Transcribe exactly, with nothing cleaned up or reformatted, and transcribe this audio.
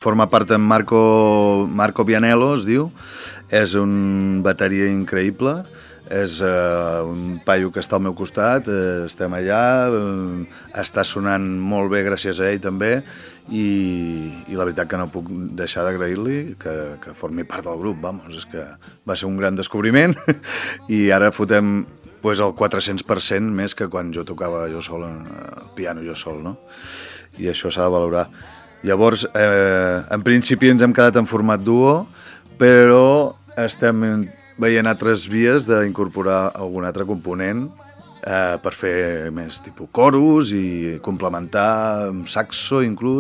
Forma part en Marco, Marco Vianello, es diu. És un bateria increïble. És uh, un paio que està al meu costat, uh, estem allà, uh, està sonant molt bé gràcies a ell també, i, i la veritat que no puc deixar d'agrair-li que, que formi part del grup, vamos, és que va ser un gran descobriment i ara fotem pues, el quatre-cents per cent més que quan jo tocava jo sol, el piano jo sol, no? I això s'ha de valorar. Llavors, eh, en principi ens hem quedat en format duo, però estem veient altres vies d'incorporar algun altre component eh, per fer més tipus coros i complementar amb saxo inclús.